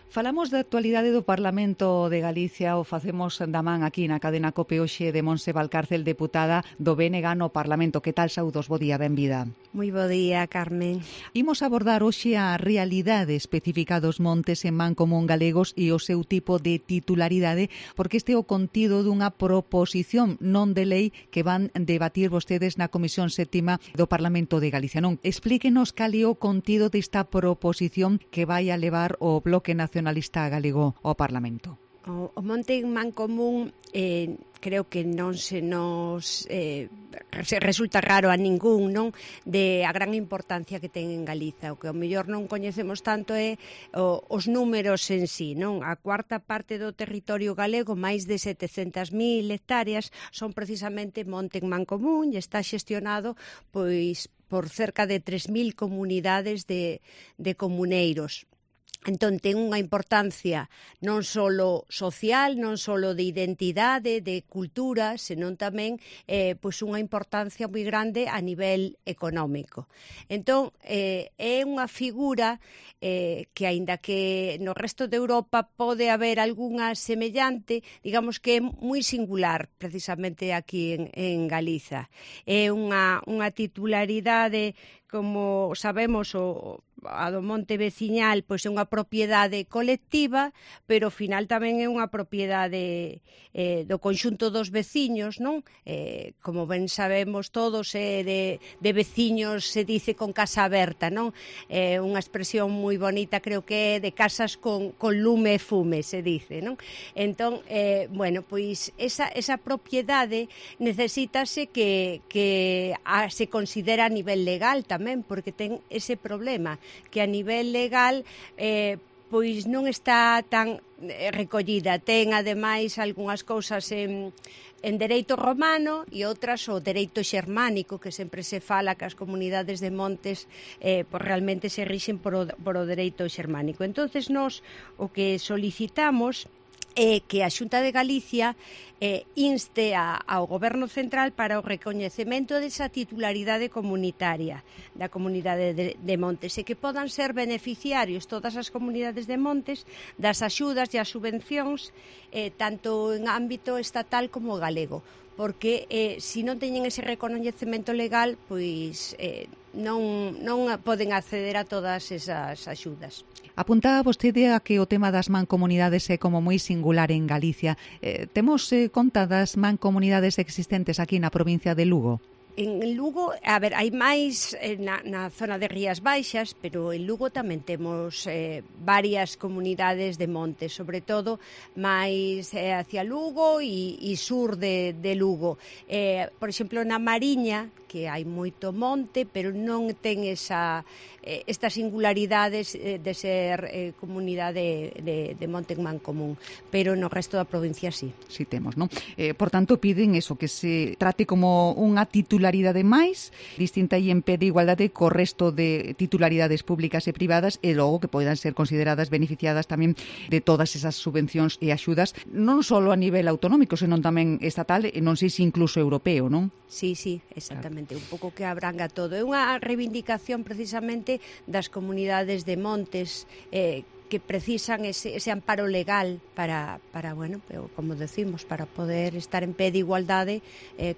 Falamos da actualidade do Parlamento de Galicia, o facemos da man aquí na cadena COPE hoxe de Montse Valcárcel, deputada do BNG no Parlamento. Que tal, saúdos? Bo día, benvida. Moi bo día, Carmen. Imos abordar hoxe a realidade específica dos montes en man común galegos e o seu tipo de titularidade, porque este é o contido dunha proposición non de lei que van debatir vostedes na Comisión Séptima do Parlamento de Galicia. Non, explíquenos cal é o contido desta proposición que vai a levar o Bloque Nacionalista Galego ao Parlamento. O monte en man común creo que non se nos resulta raro a ningún, non, de a gran importancia que ten en Galiza. O que ao mellor non coñecemos tanto é os números en sí, non? A cuarta parte do territorio galego, máis de 700.000 hectáreas, son precisamente monte en man común e está xestionado pois por cerca de 3.000 comunidades de comuneiros. Entón, ten unha importancia non só social, non só de identidade, de cultura, senón tamén pois unha importancia moi grande a nivel económico. Entón, é unha figura que, aínda que no resto de Europa pode haber algunha semellante, digamos que é moi singular, precisamente aquí en Galiza. É unha titularidade, como sabemos, a do monte veciñal, pois é unha propiedade colectiva, pero ao final tamén é unha propiedade do conxunto dos veciños, non? Como ben sabemos todos, de veciños se dice con casa aberta, non? Unha expresión moi bonita, creo que é de casas con lume e fume, se dice, non? Entón, bueno, pois esa propiedade necesítase que se considera a nivel legal tamén, porque ten ese problema, que a nivel legal pois non está tan recollida. Ten, ademais, algunhas cousas en dereito romano e outras o dereito xermánico, que sempre se fala que as comunidades de montes pois realmente se rixen por o dereito xermánico. Entonces, nós o que solicitamos é que a Xunta de Galicia inste ao Goberno Central para o recoñecemento desa titularidade comunitaria da comunidade de montes e que podan ser beneficiarios todas as comunidades de montes das axudas e as subvencións tanto en ámbito estatal como galego, porque se non teñen ese recoñecemento legal, pois non poden acceder a todas esas axudas. Apuntaba vostede a que o tema das mancomunidades é como moi singular en Galicia. Temos conta das mancomunidades existentes aquí na provincia de Lugo? En Lugo, a ver, hai máis na zona de Rías Baixas, pero en Lugo tamén temos varias comunidades de montes, sobre todo máis hacia Lugo e sur de Lugo. Por exemplo, na Mariña, que hai moito monte, pero non ten estas singularidades de ser comunidade de monte en man común, pero no resto da provincia sí. Sí temos, non? Por tanto, piden eso, que se trate como unha titularidade máis distinta e en pé de igualdade co resto de titularidades públicas e privadas e logo que poidan ser consideradas beneficiadas tamén de todas esas subvencións e axudas, non só a nivel autonómico, senón tamén estatal e non sei se incluso europeo, non? Sí, exactamente, un pouco que abranga todo. É unha reivindicación precisamente das comunidades de montes que precisan ese amparo legal para bueno, como decimos, para poder estar en pé de igualdade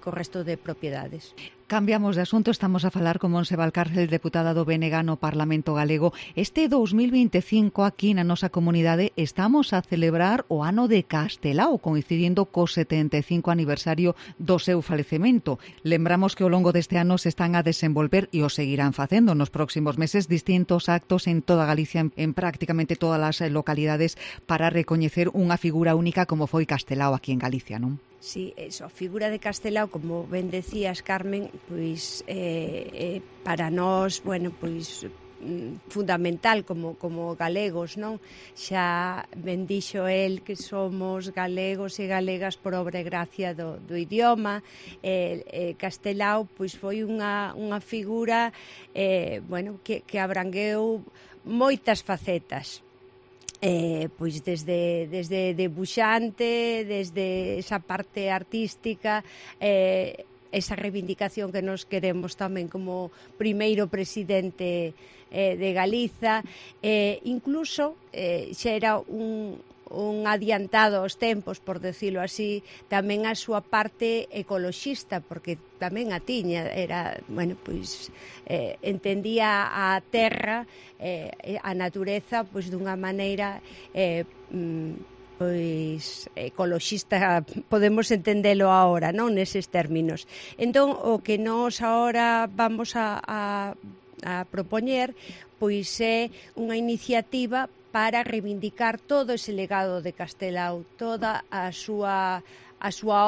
co resto de propiedades. Cambiamos de asunto, estamos a falar con Montse Valcárcel, deputada do BNG no Parlamento Galego. Este 2025 aquí na nosa comunidade estamos a celebrar o ano de Castelao, coincidindo co 75 aniversario do seu falecemento. Lembramos que ao longo deste ano se están a desenvolver e o seguirán facendo nos próximos meses distintos actos en toda Galicia, en prácticamente todas as localidades, para recoñecer unha figura única como foi Castelao aquí en Galicia, non? Sí, eso, a figura de Castelao, como ben decías, Carmen, pois para nós, bueno, pois fundamental como galegos, non? Xa ben dixo el que somos galegos e galegas por obra e gracia do idioma. Castelao pois foi unha figura bueno, que abrangueu moitas facetas. Pois desde debuxante, desde esa parte artística, esa reivindicación que nos queremos tamén como primeiro presidente de Galiza, incluso xa era un adiantado aos tempos, por decirlo así, tamén a súa parte ecoloxista, porque tamén a tiña, era, bueno, pois entendía a terra, a natureza, pois dunha maneira pois ecoloxista, podemos entendelo agora, non neses términos. Entón, o que nós agora vamos a propoñer, pois é unha iniciativa para reivindicar todo ese legado de Castelao, toda a súa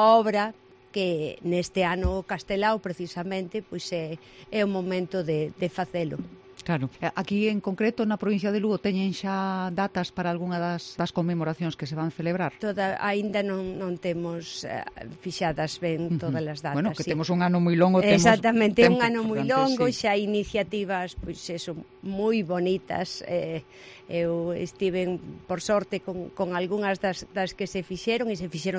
obra, que neste ano Castelao precisamente pois é o momento de facelo. Claro. Aquí en concreto na provincia de Lugo teñen xa datas para algunha das conmemoracións que se van celebrar? Aínda non temos fixadas ben todas as datas. Bueno, que sí. temos un ano moi longo. Exactamente, un ano moi longo, sí. Xa iniciativas pois eso, moi bonitas. Eu estiven, por sorte, con algunhas das que se fixeron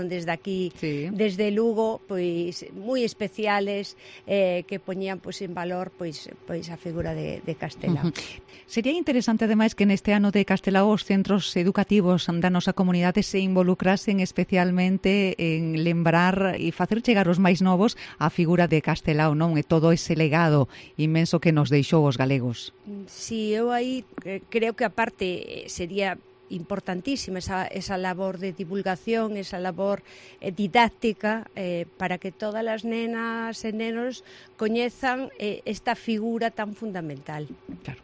desde aquí, sí. Desde Lugo, pois moi especiales, que poñían pois en valor pois a figura de Castelao. Sería interesante, ademais, que neste ano de Castelao os centros educativos da nosa comunidade se involucrasen especialmente en lembrar e facer chegar os máis novos a figura de Castelao, non? E todo ese legado inmenso que nos deixou os galegos. Si, eu aí creo que aparte sería importantísima esa labor de divulgación, esa labor didáctica, para que todas as nenas e nenos coñezan esta figura tan fundamental. Claro.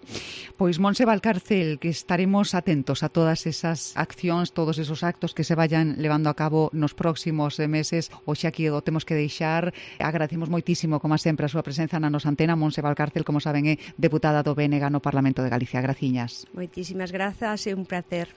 Pois Montse Valcárcel, que estaremos atentos a todas esas accións, todos esos actos que se vayan levando a cabo nos próximos meses. Hoxe aquí o temos que deixar. Agradecemos moitísimo, como sempre, a súa presenza na nosa antena. Montse Valcárcel, como saben, é deputada do BNG no Parlamento de Galicia. Graciñas. Moitísimas grazas, é un placer.